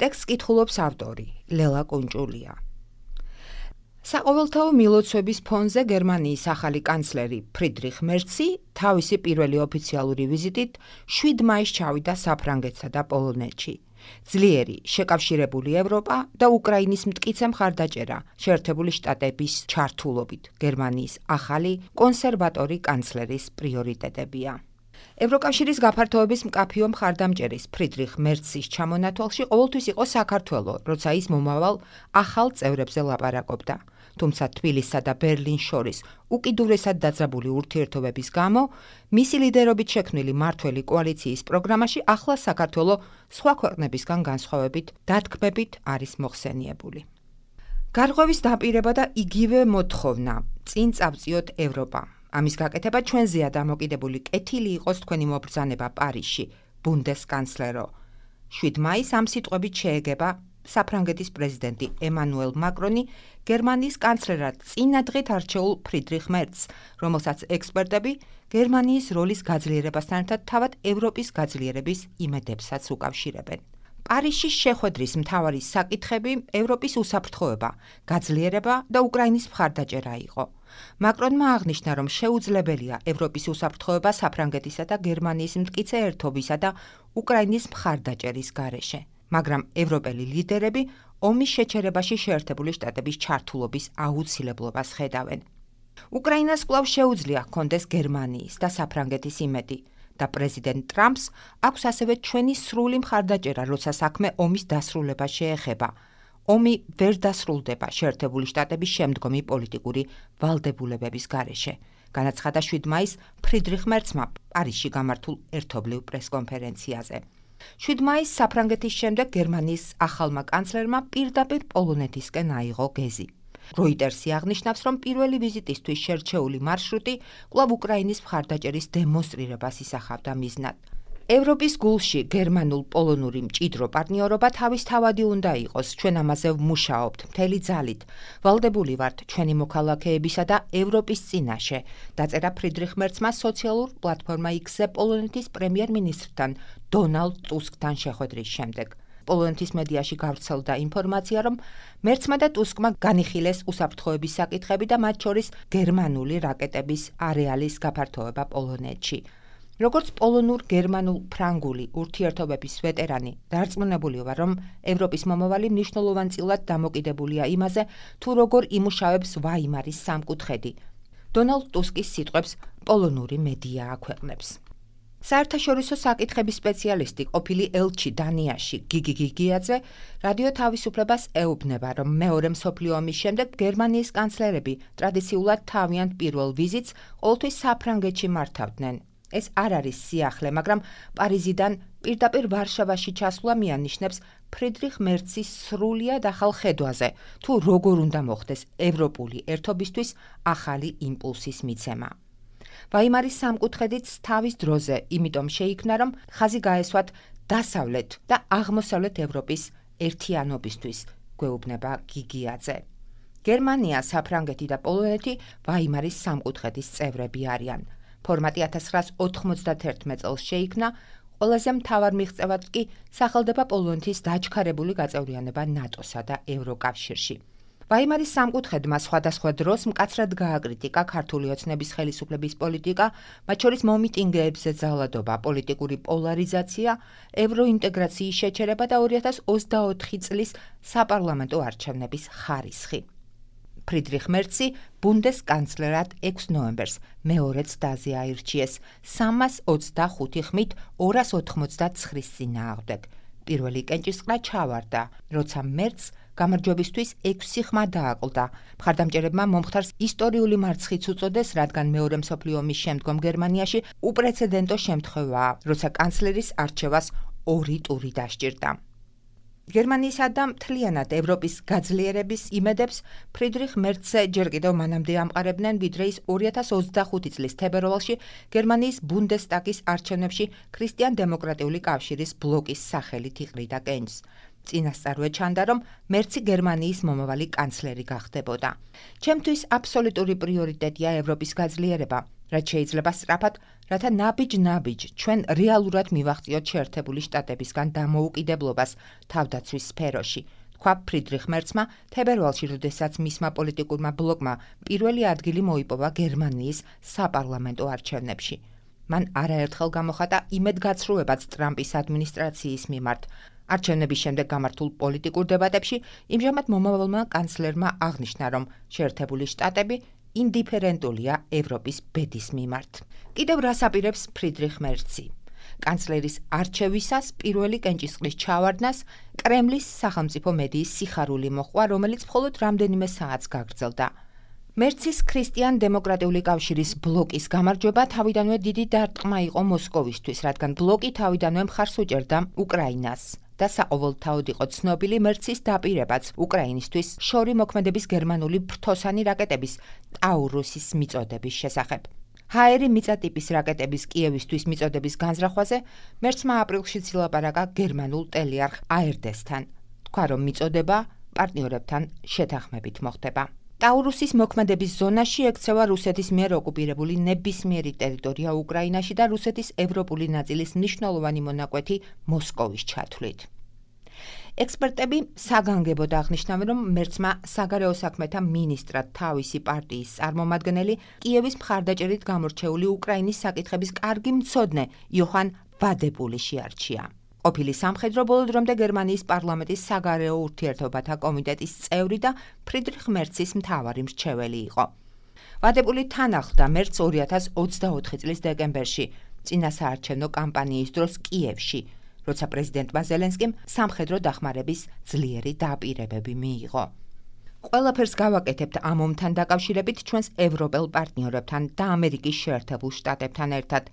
ტექსტს კითხულობს ავტორი ლელა კუნჭულია. საყოველთაო მილოცვების ფონზე გერმანიის ახალი კანცლერი ფრიდრიხ მერცი თავისი პირველი ოფიციალური ვიზიტით 7 მაისს ჩავიდა საფრანგეთსა და პოლონეთში. ძლიერი, შეკავშირებული ევროპა და უკრაინის მტკიცე მხარდაჭერა შეერთებული შტატების ჩართულობით გერმანიის ახალი კონსერვატორი კანცლერის პრიორიტეტებია. ევროკავშირის გაფართოების მკაფიო მხარდამჭერის ფრიდრიხ მერცის ჩამონათვალში ყოველთვის იყო საქართველო, როცა ის მომავალ ახალ წევრებზე ლაპარაკობდა. თუმცა თბილისსა და ბერლინს შორის უკიდურესად დაძაბული ურთიერთობების გამო, მისი ლიდერობით შექმნილი მმართველი კოალიციის პროგრამაში ახლა საქართველო სხვა ქვეყნებისგან განსხვავებით დათქმებით არის მოხსენიებული. გარღვევის დაპირება და იგივე მოთხოვნა წინ წავწიოთ ევროპა. ამის გაკეთება ჩვენზეა დამოკიდებული კეთილი იყოს თქვენი მობრძანება პარიზში, ბუნდესკანცლერო. 7 მაისს ამ სიტყვებით შეეგება საფრანგეთის პრეზიდენტი ემანუელ მაკრონი გერმანიის კანცლერად წინადღეთ არჩეულ ფრიდრიხ მერცს, რომელსაც ექსპერტები გერმანიის როლის გაძლიერებასთან ერთად თავად ევროპის გაძლიერების იმედებსაც უკავშირებენ. პარიზში შეხვედრის მთავარი საკითხები ევროპის უსაფრთხოება, გაძლიერება და უკრაინის მხარდაჭერა იყო. მაკრონმა აღნიშნა, რომ შეუძლებელია ევროპის უსაფრთხოება საფრანგეთისა და გერმანიის მტკიცე ერთობისა და უკრაინის მხარდაჭერის გარეშე. მაგრამ ევროპელი ლიდერები ომის შეჩერებაში შეერთებული შტატების ჩართულობის აუცილებლობას ხედავენ. უკრაინას კვლავ შეუძლია ჰქონდეს გერმანიის და საფრანგეთის იმედი და პრეზიდენტ ტრამპს აქვს ასევე ჩვენი სრული მხარდაჭერა, როცა საქმე ომის დასრულება შეეხება. ომი ვერ დასრულდება შეერთებული შტატების შემდგომი პოლიტიკური ვალდებულებების გარეშე. განაცხადა 7 მაისს ფრიდრიხ მერცმა პარიზში გამართულ ერთობლივ პრესკონფერენციაზე. 7 მაისს საფრანგეთის შემდეგ გერმანიის ახალმა კანცლერმა პირდაპირ პოლონეთისკენ აიღო გეზი. როიტერსი აღნიშნავს, რომ პირველი ვიზიტისთვის შერჩეული მარშრუტი კვლავ უკრაინის მხარდაჭერის დემონსტრირებას ისახავდა მიზნად. ევროპის გულში გერმანულ-პოლონური მჭიდრო პარტნიორობა თავისთავადი უნდა იყოს, ჩვენ ამაზე ვმუშაობთ მთელი ძალით. ვალდებული ვართ ჩვენი მოქალაქეებისა და ევროპის წინაშე, დაწერა ფრიდრიხ მერცმა სოციალურ პლატფორმა X-ზე პოლონეთის პრემიერ-მინისტრთან დონალდ ტუსკთან შეხვედრის შემდეგ. პოლონეთის მედიაში გავრცელდა ინფორმაცია, რომ მერცმა და ტუსკმა განიხილეს უსაფრთხოების საკითხები და მათ შორის გერმანული რაკეტების არეალის გაფართოება პოლონეთში. როგორც პოლონურ-გერმანულ-ფრანგული ურთიერთობების ვეტერანი, დარწმუნებული ვარ, რომ ევროპის მომავალი მნიშვნელოვანწილად დამოკიდებულია იმაზე, თუ როგორ იმუშავებს ვაიმარის სამკუთხედი. დონალდ ტუსკის სიტყვებს პოლონური მედია აქვეყნებს. საერთაშორისო საკითხების სპეციალისტი, ყოფილი ელჩი დანიაში გიგი გიგიაძე, რადიო თავისუფლებას ეუბნება, რომ მეორე მსოფლიო ომის შემდეგ გერმანიის კანცლერები ტრადიციულად თავიანთ პირველ ვიზიტს ყოველთვის საფრანგეთში მართავდნენ. ეს არ არის სიახლე, მაგრამ პარიზიდან პირდაპირ ვარშავაში ჩასვლა მიანიშნებს ფრიდრიხ მერცის სრულიად ახალ ხედვაზე, თუ როგორ უნდა მოხდეს ევროპული ერთობისთვის ახალი იმპულსის მიცემა. ვაიმარის სამკუთხედიც თავის დროზე, იმიტომ შეიქმნა, რომ ხაზი გაესვათ დასავლეთ და აღმოსავლეთ ევროპის ერთიანობისთვის, გვეუბნება გიგიაძე. გერმანია, საფრანგეთი და პოლონეთი ვაიმარის სამკუთხედის წევრები არიან. ფორმატი 1991 წელს შეიქმნა, ყველაზე მთავარ მიღწევად კი სახელდება პოლონეთის დაჩქარებული გაწევრიანება ნატოსა და ევროკავშირში. ვაიმარის სამკუთხედმა სხვადასხვა დროს მკაცრად გააკრიტიკა ქართული ოცნების ხელისუფლების პოლიტიკა, მათ შორის მომიტინგეებზე ძალადობა, პოლიტიკური პოლარიზაცია, ევროინტეგრაციის შეჩერება და 2024 წლის საპარლამენტო არჩევნების ხარისხი. ფრიდრიხ მერცი ბუნდესკანცლერად 6 ნოემბერს მეორე ცდაზე აირჩიეს 325 ხმით 289 წინააღმდეგ. პირველი კენჭისყრა ჩავარდა, როცა მერცს გამარჯვებისთვის 6 ხმა დააკლდა. მხარდამჭერებმა მომხდარს ისტორიული მარცხიც უწოდეს, რადგან მეორე მსოფლიო ომის შემდგომ გერმანიაში უპრეცედენტო შემთხვევაა, როცა კანცლერის არჩევას 2 ტური დასჭირდა. გერმანიისა და მთლიანად ევროპის გაძლიერების იმედებს ფრიდრიხ მერცზე ჯერ კიდევ მანამდე ამყარებდნენ, ვიდრე ის 2025 წლის თებერვალში გერმანიის ბუნდესტაგის არჩევნებში ქრისტიან-დემოკრატიული კავშირის ბლოკის სახელით იყრიდა კენჭს. წინასწარვე ჩანდა, რომ მერცი გერმანიის მომავალი კანცლერი გახდებოდა. ჩემთვის აბსოლუტური პრიორიტეტია ევროპის გაძლიერება. რაც შეიძლება სწრაფად, რათა ნაბიჯ-ნაბიჯ ჩვენ რეალურად მივაღწიოთ შეერთებული შტატებისგან დამოუკიდებლობას თავდაცვის სფეროში. თქვა ფრიდრიხ მერცმა თებერვალში, როდესაც მისმა პოლიტიკურმა ბლოკმა პირველი ადგილი მოიპოვა გერმანიის საპარლამენტო არჩევნებში. მან არაერთხელ გამოხატა იმედგაცრუებაც ტრამპის ადმინისტრაციის მიმართ. არჩევნების შემდეგ გამართულ პოლიტიკურ დებატებში იმჟამად მომავალმა კანცლერმა აღნიშნა, რომ შეერთებული შტატები ინდიფერენტულია ევროპის ბედის მიმართ. კიდევ რას აპირებს ფრიდრიხ მერცი? კანცლერის არჩევისას პირველი კენჭისყრის ჩავარდნას კრემლის სახელმწიფო მედიის სიხარული მოჰყვა, რომელიც მხოლოდ რამდენიმე საათს გაგრძელდა. მერცის ქრისტიან-დემოკრატიული კავშირის ბლოკის გამარჯვება თავიდანვე დიდი დარტყმა იყო მოსკოვისთვის, რადგან ბლოკი თავიდანვე მხარს უჭერდა უკრაინას და საყოველთაოდ იყო ცნობილი მერცის დაპირებაც უკრაინისთვის შორი მოქმედების გერმანული ფრთოსანი რაკეტების ტაურუსის მიწოდების შესახებ. ჰაერი მიწა-ტიპის რაკეტების კიევისთვის მიწოდების განზრახვაზე მერცმა აპრილშიც ილაპარაკა გერმანულ ტელიარხ ARD-სთან. თქვა, რომ მიწოდება პარტნიორებთან შეთანხმებით მოხდება. ტაურუსის მოქმედების ზონაში ექცევა რუსეთის მიერ ოკუპირებული ნებისმიერი ტერიტორია უკრაინაში და რუსეთის ევროპული ნაწილის მნიშვნელოვანი მონაკვეთი მოსკოვის ჩათვლით. ექსპერტები საგანგებოდ აღნიშნავენ, რომ მერცმა საგარეო საქმეთა მინისტრად თავისი პარტიის წარმომადგენელი კიევის მხარდაჭერით გამორჩეული უკრაინის საკითხების კარგი მცოდნე იოჰან ვადეპული შეარჩია. ყოფილი სამხედრო ბოლო დრომდე გერმანიის პარლამენტის საგარეო ურთიერთობათა კომიტეტის წევრი და ფრიდრიხ მერცის მთავარი მრჩეველი იყო. ვადეპული თან ახლდა მერცს 2024 წლის დეკემბერში, წინასაარჩევნო კამპანიის დროს კიევში, როცა პრეზიდენტმა ზელენსკიმ სამხედრო დახმარების ძლიერი დაპირებები მიიღო. ყველაფერს გავაკეთებთ ამ ომთან დაკავშირებით ჩვენს ევროპელ პარტნიორებთან და ამერიკის შეერთებულ შტატებთან ერთად.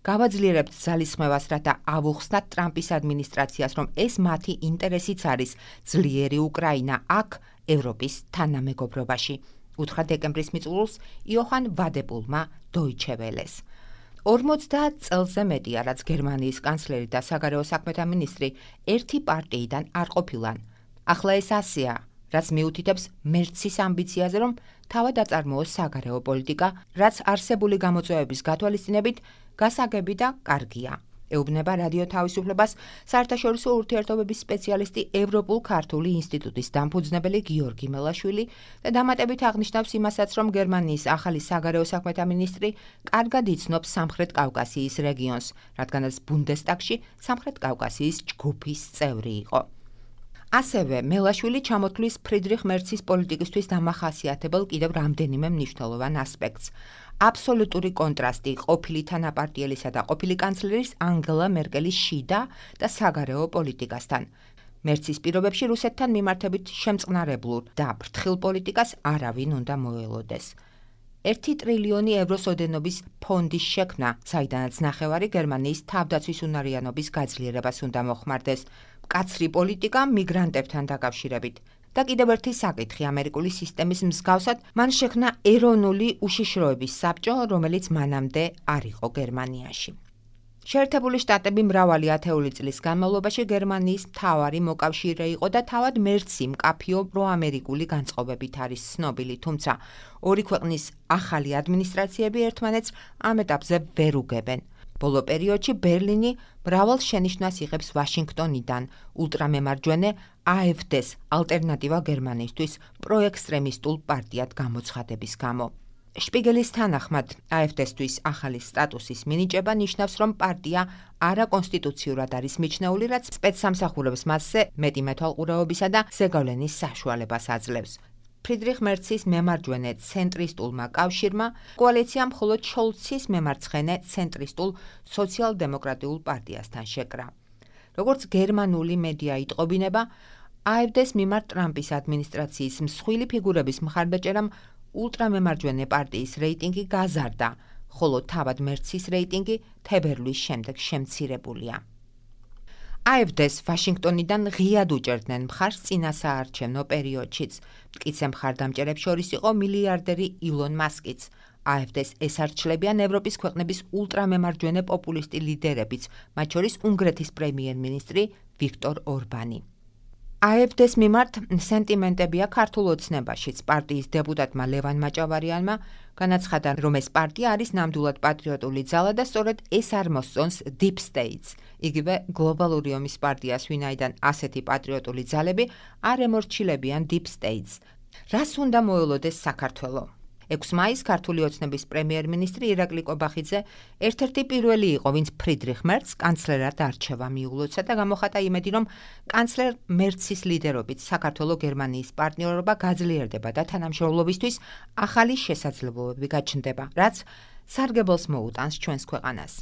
გავაძლიერებთ ძალისხმევას, რათა ავუხსნათ ტრამპის ადმინისტრაციას, რომ ეს მათი ინტერესიც არის ძლიერი უკრაინა აქ ევროპის თანამეგობრობაში. უთხრა დეკემბრის მიწურულს იოჰან ვადეპულმა Deutsche Welles. 50 წელზე მეტია, რაც გერმანიის კანცლერი და საგარეო საქმეთა მინისტრი ერთი პარტიიდან არ ყოფილან. ახლა ეს ასეა, რაც მიუთითებს მერცის ამბიციაზე, რომ თავად აწარმოოს საგარეო პოლიტიკა, რაც არსებული გამოწვევების გათვალისწინებით გასაგები და კარგია. ეუბნება რადიო თავისუფლებას საერთაშორისო ურთიერთობების სპეციალისტი ევროპულ-ქართული ინსტიტუტის დამფუძნებელი გიორგი მელაშვილი და დამატებით აღნიშნავს იმასაც, რომ გერმანიის ახალი საგარეო საქმეთა მინისტრი კარგად იცნობს სამხრეთ კავკასიის რეგიონს, რადგანაც ბუნდესტაგში სამხრეთ კავკასიის ჯგუფის წევრი იყო. ასევე მელაშვილი ჩამოთვლის ფრიდრიხ მერცის პოლიტიკისთვის დამახასიათებელ კიდევ რამდენიმე მნიშვნელოვან ასპექტს. აბსოლუტური კონტრასტი ყოფილი თანაპარტიელისა და ყოფილი კანცლერის ანგელა მერკელის შიდა და საგარეო პოლიტიკასთან. მერცის პირობებში რუსეთთან მიმართებით შემწყნარებლურ და ფრთხილ პოლიტიკას არავინ უნდა მოელოდეს. 1 ტრილიონი ევროს ოდენობის ფონდის შექმნა, საიდანაც ნახევარი გერმანიის თავდაცვის უნარიანობის გაძლიერებას უნდა მოხმარდეს. მკაცრი პოლიტიკა მიგრანტებთან დაკავშირებით. და კიდევ ერთი საკითხი ამერიკული სისტემის მსგავსად, მან შექმნა ეროვნული უშიშროების საბჭო, რომელიც მანამდე არ იყო გერმანიაში. შეერთებული შტატები მრავალი ათეული წლის განმავლობაში გერმანიის მთავარი მოკავშირე იყო და თავად მერცი მკაფიო პროამერიკული განწყობებით არის ცნობილი, თუმცა ორი ქვეყნის ახალი ადმინისტრაციები ერთმანეთს ამ ეტაპზე ვერ უგებენ. ბოლო პერიოდში ბერლინი მრავალ შენიშვნას იღებს ვაშინგტონიდან ულტრამემარჯვენე AfD-ს ალტერნატივა გერმანისთვის პროექსტრემისტულ პარტიად გამოცხადების გამო. შპიგელის თანახმად AfD-სთვის ახალი სტატუსის მინიჭება ნიშნავს, რომ პარტია არაკონსტიტუციურად არის მიჩნეული, რაც სპეცსამსახურებს მასზე მეტი მეთვალყურეობისა და ზეგავლენის საშუალებას აძლევს. ფრიდრიხ მერცის მემარჯვენე ცენტრისტულმა კავშირმა კოალიციამ მხოლოდ შოლცის მემარცხენე ცენტრისტულ სოციალ-დემოკრატიულ პარტიასთან შეკრა. როგორც გერმანული მედია იტყობინება, AfD-ს მიმართ ტრამპის ადმინისტრაციის მსხვილი ფიგურების მხარდაჭერამ ულტრამემარჯვენე პარტიის რეიტინგი გაზარდა, ხოლო თავად მერცის რეიტინგი თებერვლის შემდეგ შემცირებულია. AfD-ს ვაშინგტონიდან ღიად უჭერდნენ მხარს წინასაარჩევნო პერიოდშიც. მტკიცე მხარდამჭერებს შორის იყო მილიარდერი ილონ მასკიც. AfD-ს ესარჩლებიან ევროპის ქვეყნების ულტრამემარჯვენე პოპულისტი ლიდერებიც, მათ შორის უნგრეთის პრემიერ-მინისტრი ვიქტორ ორბანი. AfD-ს მიმართ სენტიმენტებია ქართულ ოცნებაშიც. პარტიის დეპუტატმა ლევან მაჭავარიანმა განაცხადა, რომ ეს პარტია არის ნამდვილად პატრიოტული ძალა და სწორედ ეს არ მოსწონს Deep States. იგივე გლობალური ომის პარტიას, ვინაიდან ასეთი პატრიოტული ძალები არ ემორჩილებიან Deep States. რას უნდა მოელოდეს საქართველო? 6 მაისს ქართული ოცნების პრემიერ-მინისტრი ირაკლი კობახიძე ერთ-ერთი პირველი იყო, ვინც ფრიდრიხ მერცს კანცლერად არჩევა მიულოცა და გამოხატა იმედი, რომ კანცლერ მერცის ლიდერობით საქართველო გერმანიის პარტნიორობა გაძლიერდება და თანამშრომლობისთვის ახალი შესაძლებლობები გაჩნდება, რაც სარგებელს მოუტანს ჩვენს ქვეყანას.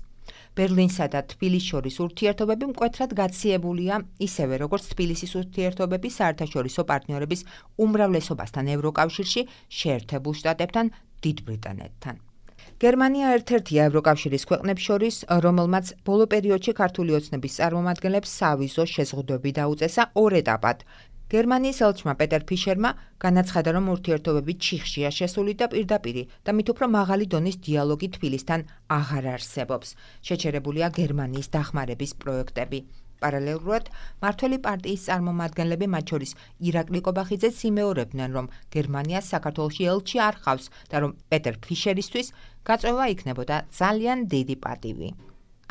ბერლინსა და თბილისს შორის ურთიერთობები მკვეთრად გაციებულია, ისევე როგორც თბილისის ურთიერთობები საერთაშორისო პარტნიორების უმრავლესობასთან ევროკავშირში, შეერთებულ შტატებთან, დიდ ბრიტანეთთან. გერმანია ერთ-ერთია ევროკავშირის ქვეყნებს შორის, რომელმაც ბოლო პერიოდში ქართული ოცნების წარმომადგენლებს სავიზო შეზღუდვები დაუწესა 2 ეტაპად. გერმანიის ელჩმა პეტერ ფიშერმა განაცხადა, რომ ურთიერთობები ჩიხშია შესული და პირდაპირი და მით უფრო მაღალი დონის დიალოგი თბილისთან აღარ არსებობს. შეჩერებულია გერმანიის დახმარების პროექტები. პარალელურად, მართველი პარტიის წარმომადგენლები, მათ შორის ირაკლი კობახიძეც იმეორებდნენ, რომ გერმანიას საქართველოში ელჩი არ ჰყავს და რომ პეტერ ფიშერისთვის გაწვევა იქნებოდა ძალიან დიდი პატივი.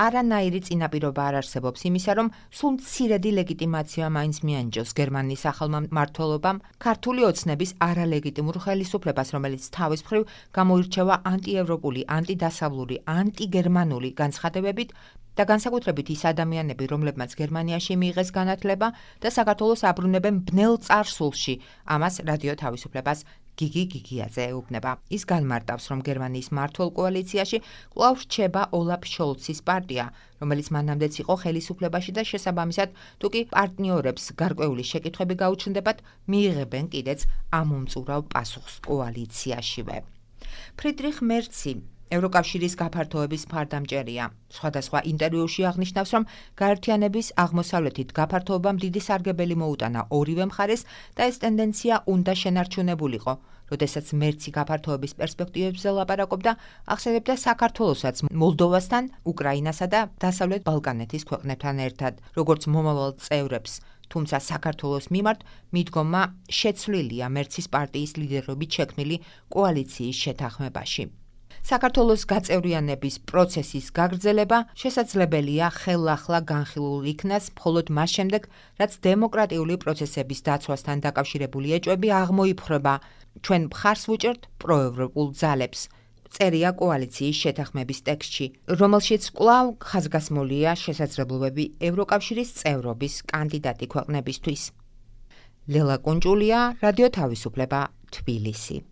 არანაირი წინაპირობა არ არსებობს იმისა, რომ სულ მცირედი ლეგიტიმაცია მაინც მიანიჭოს გერმანიის ახალმა მმართველობამ ქართული ოცნების არალეგიტიმურ ხელისუფლებას, რომელიც თავის მხრივ გამოირჩევა ანტიევროპული, ანტიდასავლური, ანტიგერმანული განცხადებებით და განსაკუთრებით ის ადამიანები, რომლებმაც გერმანიაში მიიღეს განათლება და საქართველოს აბრუნებენ ბნელ წარსულში, ამას რადიო თავისუფლებას გიგი გიგიაძე ეუბნება. ის განმარტავს, რომ გერმანიის მმართველ კოალიციაში კვლავ რჩება ოლაფ შოლცის პარტია, რომელიც მანამდეც იყო ხელისუფლებაში და შესაბამისად, თუ კი პარტნიორებს გარკვეული შეკითხვები გაუჩნდებათ, მიიღებენ კიდეც ამომწურავ პასუხს კოალიციაშივე. ფრიდრიხ მერცი ევროკავშირის გაფართოების მხარდამჭერია. სხვადასხვა ინტერვიუში აღნიშნავს, რომ გაერთიანების აღმოსავლეთით გაფართოებამ დიდი სარგებელი მოუტანა ორივე მხარეს და ეს ტენდენცია უნდა შენარჩუნებულიყო. როდესაც მერცი გაფართოების პერსპექტივებზე ლაპარაკობდა, ახსენებდა საქართველოსაც მოლდოვასთან, უკრაინასა და დასავლეთ ბალკანეთის ქვეყნებთან ერთად, როგორც მომავალ წევრებს. თუმცა საქართველოს მიმართ მიდგომა შეცვლილია მერცის პარტიის ლიდერობით შექმნილი კოალიციის შეთანხმებაში. საქართველოს გაწევრიანების პროცესის გაგრძელება შესაძლებელია ხელახლა განხილულ იქნას მხოლოდ მას შემდეგ, რაც დემოკრატიული პროცესების დაცვასთან დაკავშირებული ეჭვები აღმოიფრება. ჩვენ მხარს ვუჭერთ პროევროპულ ძალებს. წერია კოალიციის შეთანხმების ტექსტში, რომელშიც კვლავ ხაზგასმულია შესაძლებლობები ევროკავშირის წევრობის კანდიდატი ქვეყნებისთვის. ლელა კუნჭულია, რადიო თავისუფლება, თბილისი.